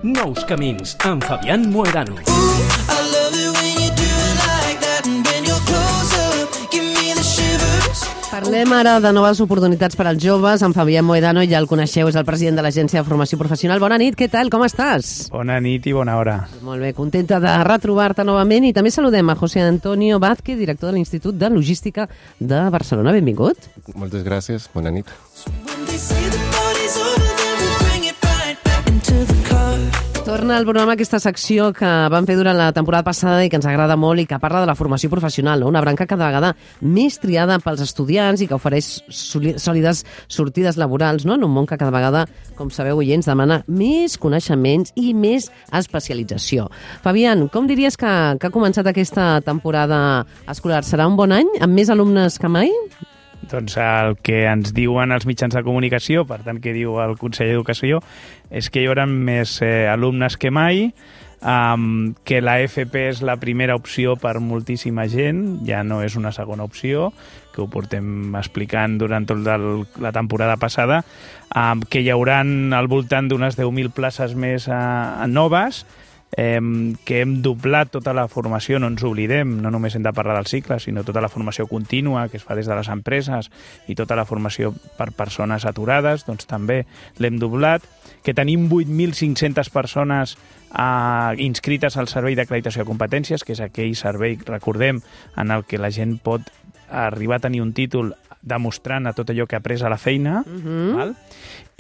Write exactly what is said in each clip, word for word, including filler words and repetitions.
Nous camins, amb Fabián Moedano. Parlem ara de noves oportunitats per als joves. En Fabián Moedano, ja el coneixeu, és el president de l'Agència de Formació Professional. Bona nit, què tal? Com estàs? Bona nit i bona hora. Molt bé, contenta de retrobar-te novament. I també saludem a José Antonio Vázquez, director de l'Institut de Logística de Barcelona. Benvingut. Moltes gràcies, bona nit. Torna al programa aquesta secció que vam fer durant la temporada passada i que ens agrada molt i que parla de la formació professional, no? Una branca cada vegada més triada pels estudiants i que ofereix sòlides sortides laborals, no? En un món que cada vegada, com sabeu, oients, demana més coneixements i més especialització. Fabián, com diries que, que ha començat aquesta temporada escolar? Serà un bon any, amb més alumnes que mai? Doncs el que ens diuen els mitjans de comunicació, per tant, que diu el Consell d'Educació, és que hi haurà més eh, alumnes que mai, um, que la F P és la primera opció per moltíssima gent, ja no és una segona opció, que ho portem explicant durant tota la temporada passada, um, que hi haurà al voltant d'unes deu mil places més uh, noves, Eh, que hem doblat tota la formació, no ens oblidem, no només hem de parlar del cicle, sinó tota la formació contínua que es fa des de les empreses i tota la formació per persones aturades, doncs també l'hem doblat, que tenim vuit mil cinc-centes persones eh, inscrites al Servei d'Acreditació de Competències, que és aquell servei, recordem, en el que la gent pot arribar a tenir un títol demostrant a tot allò que ha après a la feina, uh-huh. val?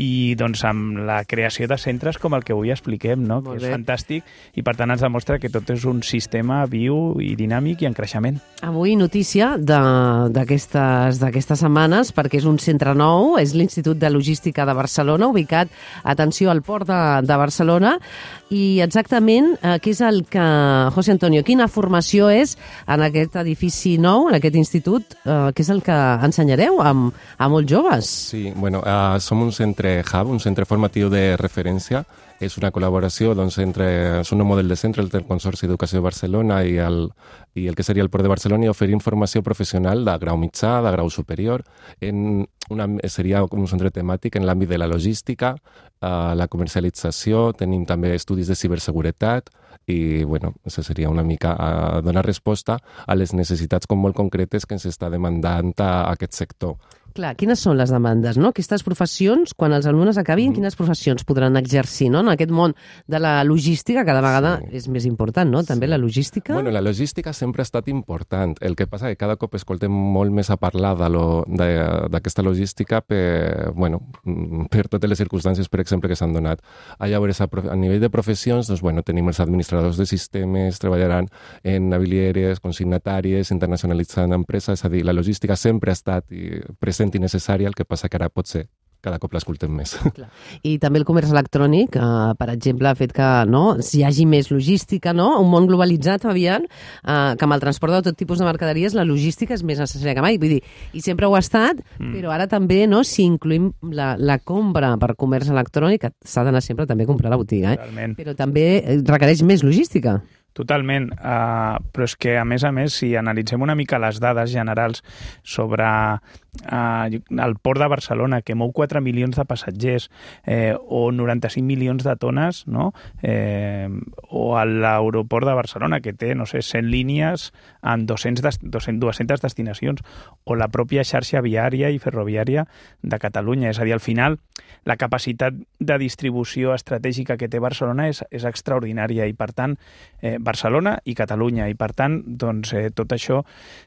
I doncs amb la creació de centres com el que avui expliquem, no? Que és fantàstic i per tant ens demostra que tot és un sistema viu i dinàmic i en creixement. Avui notícia d'aquestes d'aquestes setmanes perquè és un centre nou, és l'Institut de Logística de Barcelona, ubicat, atenció, al port de, de Barcelona, i exactament eh, què és el que, José Antonio, quina formació és en aquest edifici nou, en aquest institut, eh, què és el que ensenyareu a, a molts joves? Sí, bueno, uh, som un centre Hub, un centre formatiu de referència. És una col·laboració doncs, entre, és un nou model de centre entre el Consorci d'Educació de Barcelona i el, i el que seria el Port de Barcelona, i oferim formació professional de grau mitjà, de grau superior. En una, seria un centre temàtic en l'àmbit de la logística, eh, la comercialització, tenim també estudis de ciberseguretat, i bueno, això seria una mica a donar resposta a les necessitats com molt concretes que ens està demandant a aquest sector. Clar, quines són les demandes, no? Aquestes professions, quan els alumnes acabin, mm. quines professions podran exercir, no? En aquest món de la logística, cada vegada sí. és més important, no? També sí. la logística... Bueno, la logística sempre ha estat important. El que passa és que cada cop escoltem molt més a parlar d'aquesta logística per, bueno, per totes les circumstàncies, per exemple, que s'han donat. A llavors, a, a nivell de professions, doncs, bueno, tenim els administradors de sistemes, treballaran en navilieres, consignatàries, internacionalitzant empreses, és a dir, la logística sempre ha estat present i necessària, el que passa que ara potser cada cop l'escoltem més. Clar. I també el comerç electrònic, eh, per exemple, ha fet que no, si hi hagi més logística, no? Un món globalitzat, Fabián, eh, que amb el transport de tot tipus de mercaderies la logística és més necessària que mai. Vull dir, i sempre ho ha estat, mm. però ara també, no, si incluïm la, la compra per comerç electrònic, s'ha d'anar sempre també a comprar a la botiga, eh? Realment. Però també requereix més logística. Totalment, uh, però és que a més a més, si analitzem una mica les dades generals sobre uh, el port de Barcelona, que mou quatre milions de passatgers, eh, o noranta-cinc milions de tones, no? eh, o l'aeroport de Barcelona, que té, no sé, cent línies en dues-centes destinacions, o la pròpia xarxa viària i ferroviària de Catalunya. És a dir, al final, la capacitat de distribució estratègica que té Barcelona és, és extraordinària i, per tant, eh, Barcelona i Catalunya, i per tant doncs, eh, tot això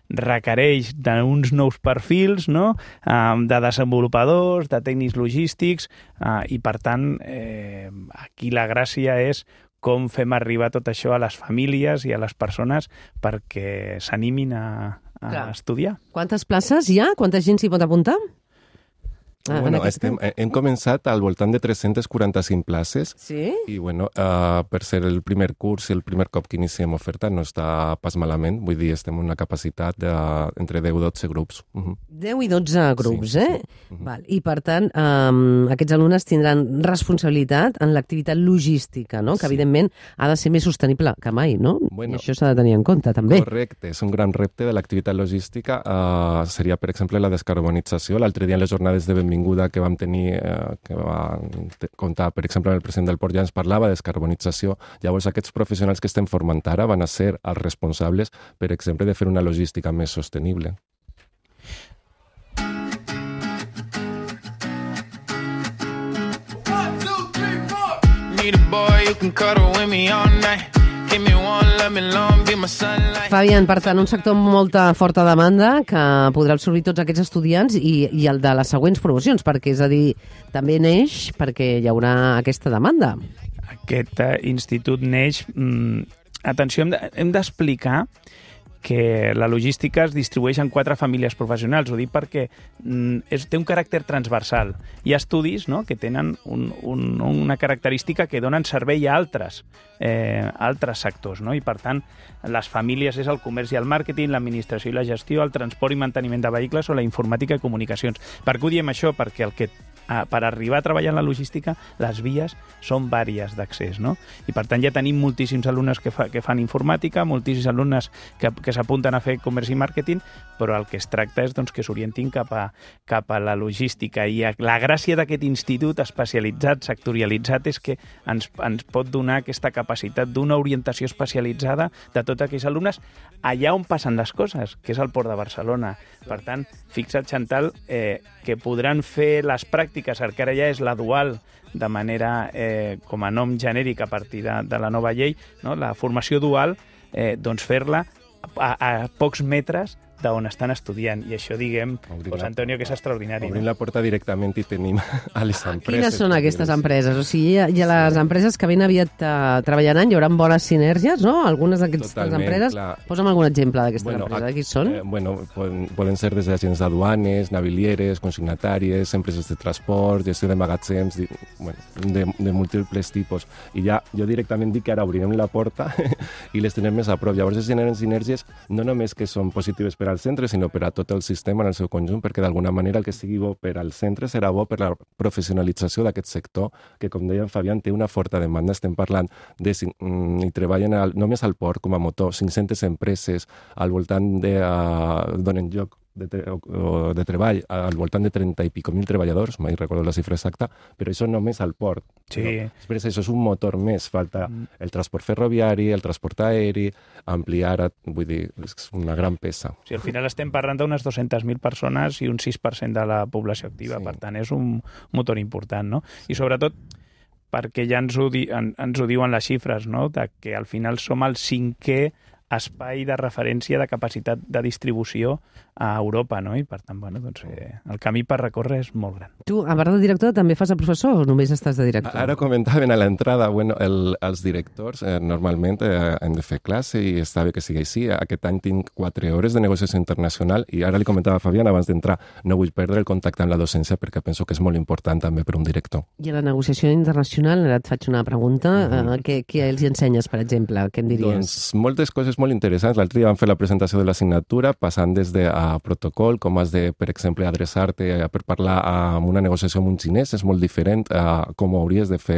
requereix d'uns nous perfils, no? eh, de desenvolupadors, de tècnics logístics, eh, i per tant eh, aquí la gràcia és com fem arribar tot això a les famílies i a les persones perquè s'animin a, a Clar. estudiar. Quantes places hi ha? Quanta gent s'hi pot apuntar? Ah, bueno, estem, hem començat al voltant de tres-centes quaranta-cinc places. Sí? I, bueno, uh, per ser el primer curs i el primer cop que iniciem oferta no està pas malament. Vull dir, estem en una capacitat d'entre deu i dotze grups. Uh-huh. deu i dotze grups, sí, eh? Sí. Uh-huh. Val. I, per tant, um, aquests alumnes tindran responsabilitat en l'activitat logística, no? Que, sí. evidentment, ha de ser més sostenible que mai, no? Bueno, I això s'ha de tenir en compte, també. Correcte. És un gran repte de l'activitat logística. Uh, seria, per exemple, la descarbonització. L'altre dia en les jornades de benvinguts benvinguda que vam tenir, eh, que va comptar, per exemple, amb el president del Port, ja ens parlava de descarbonització. Llavors, aquests professionals que estem formant ara van a ser els responsables, per exemple, de fer una logística més sostenible. Fabián, per tant, un sector amb molta forta demanda que podrà absorbir tots aquests estudiants i, i el de les següents promocions, perquè, és a dir, també neix perquè hi haurà aquesta demanda. Aquest uh, institut neix... Mm, atenció, hem d'explicar que la logística es distribueix en quatre famílies professionals. Ho dic perquè mm, és, té un caràcter transversal. Hi ha estudis, no?, que tenen un, un, una característica que donen servei a altres, eh, altres sectors, no? I, per tant, les famílies és el comerç i el màrqueting, l'administració i la gestió, el transport i manteniment de vehicles o la informàtica i comunicacions. Per què ho diem això? Perquè el que per arribar a treballar en la logística, les vies són vàries d'accés, no? I per tant ja tenim moltíssims alumnes que, fa, que fan informàtica, moltíssims alumnes que, que s'apunten a fer comerç i màrqueting, però el que es tracta és doncs, que s'orientin cap a, cap a la logística. I la gràcia d'aquest institut especialitzat, sectorialitzat, és que ens, ens pot donar aquesta capacitat d'una orientació especialitzada de tots aquells alumnes allà on passen les coses, que és el Port de Barcelona. Per tant, fixa't, Chantal, eh, que podran fer les pràctiques, el que ara ja és la dual, de manera, eh, com a nom genèric a partir de, de la nova llei, no? La formació dual, eh, doncs fer-la a, a pocs metres d'on estan estudiant. I això, diguem, pues, Antonio, que és extraordinari. Obrim no? la porta directament i tenim a les empreses. Quines són aquestes empreses? O sigui, hi ha, hi ha les empreses que ben aviat uh, treballaran, hi haurà bones sinergies, no? Algunes d'aquestes empreses. Clar. Posa'm algun exemple d'aquestes bueno, empreses. Qui són? Eh, bueno, poden, poden ser des d'agents d'aduanes, navilieres, consignatàries, empreses de transport, gestió de magatzems, de, bueno, de, de múltiples tipus. I ja jo directament dic que ara obrirem la porta i les tenem més a prop. Llavors es generen sinergies no només que són positives per al centre, sinó per a tot el sistema en el seu conjunt, perquè d'alguna manera el que sigui bo per al centre serà bo per la professionalització d'aquest sector, que, com deia en Fabián, té una forta demanda. Estem parlant de... i treballen al, només al port com a motor, cinc-centes empreses al voltant de... Uh, donen lloc de, tre o de treball al voltant de trenta i pico mil treballadors, mai recordo la xifra exacta, però això només al port. Sí. No? Després això és un motor més, falta mm. el transport ferroviari, el transport aeri, ampliar, vull dir, és una gran peça. Sí, al final estem parlant d'unes dues-centes mil persones i un sis per cent de la població activa, sí. Per tant és un motor important, no? I sobretot perquè ja ens ho, di en, ens ho diuen les xifres, no?, de que al final som el cinquè espai de referència de capacitat de distribució a Europa, no? I per tant, bueno, doncs, eh, el camí per recórrer és molt gran. Tu, a part de director, també fas de professor o només estàs de director? Ara comentaven a l'entrada, bueno, el, els directors eh, normalment eh, hem de fer classe i està bé que sigui així. Aquest any tinc quatre hores de negociació internacional i ara li comentava a Fabián abans d'entrar, no vull perdre el contacte amb la docència perquè penso que és molt important també per un director. I a la negociació internacional, ara et faig una pregunta, mm-hmm. eh, què, què els ensenyes, per exemple? Què em diries? Doncs moltes coses molt interessants. L'altre dia vam fer la presentació de l'assignatura, passant des de a protocol, com has de, per exemple, adreçar-te per parlar amb una negociació amb un xinès, és molt diferent a com ho hauries de fer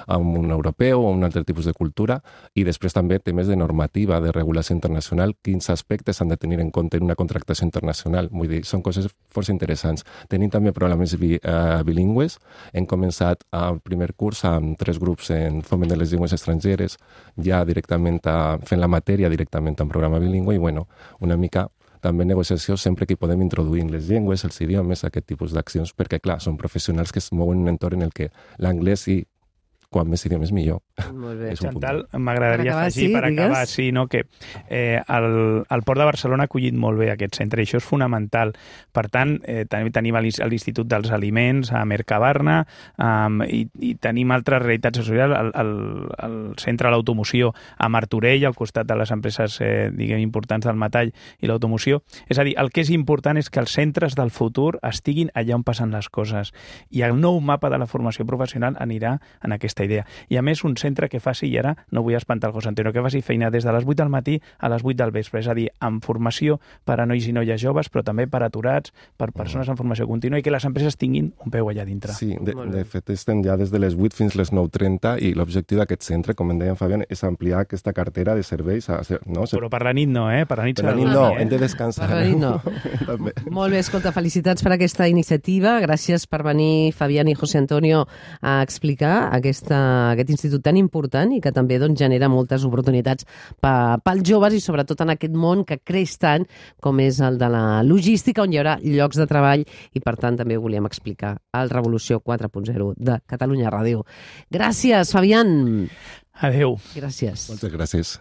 amb un europeu o un altre tipus de cultura, i després també temes de normativa, de regulació internacional, quins aspectes s'han de tenir en compte en una contractació internacional. Vull dir, són coses força interessants. Tenim també programes bi, uh, bilingües. Hem començat el primer curs amb tres grups en foment de les llengües estrangeres, ja directament a, fent la matèria directament en programa bilingüe, i bueno, una mica també negociació sempre que hi podem introduir les llengües, els idiomes, aquest tipus d'accions, perquè, clar, són professionals que es mouen en un entorn en el que l'anglès i quan més idiomes millor. Molt bé. Chantal, m'agradaria afegir, per acabar, sí, no, que eh, el, el Port de Barcelona ha acollit molt bé aquest centre, i això és fonamental. Per tant, eh, també tenim l'Institut dels Aliments a Mercabarna, um, i, i tenim altres realitats socials, el, el, el centre de l'automoció a Martorell, al costat de les empreses eh, diguem, importants del metall i l'automoció. És a dir, el que és important és que els centres del futur estiguin allà on passen les coses, i el nou mapa de la formació professional anirà en aquesta aquesta idea. I a més un centre que faci, i ara no vull espantar el José Antonio, que faci feina des de les vuit del matí a les vuit del vespre, és a dir, amb formació per a nois i noies joves, però també per aturats, per persones en formació contínua, i que les empreses tinguin un peu allà dintre. Sí, de, de fet estem ja des de les vuit fins les nou trenta i l'objectiu d'aquest centre, com en deia en Fabián, és ampliar aquesta cartera de serveis. A, no? Però per la nit no, eh? Per la nit, per la nit no, eh? Hem de descansar. Per la nit no. Molt bé, escolta, felicitats per aquesta iniciativa. Gràcies per venir, Fabián i José Antonio, a explicar aquesta, aquest institut tan important i que també doncs, genera moltes oportunitats pels joves i sobretot en aquest món que creix tant com és el de la logística, on hi haurà llocs de treball i per tant també volíem explicar el Revolució quatre punt zero de Catalunya Ràdio. Gràcies, Fabián. Adéu. Gràcies. Moltes gràcies.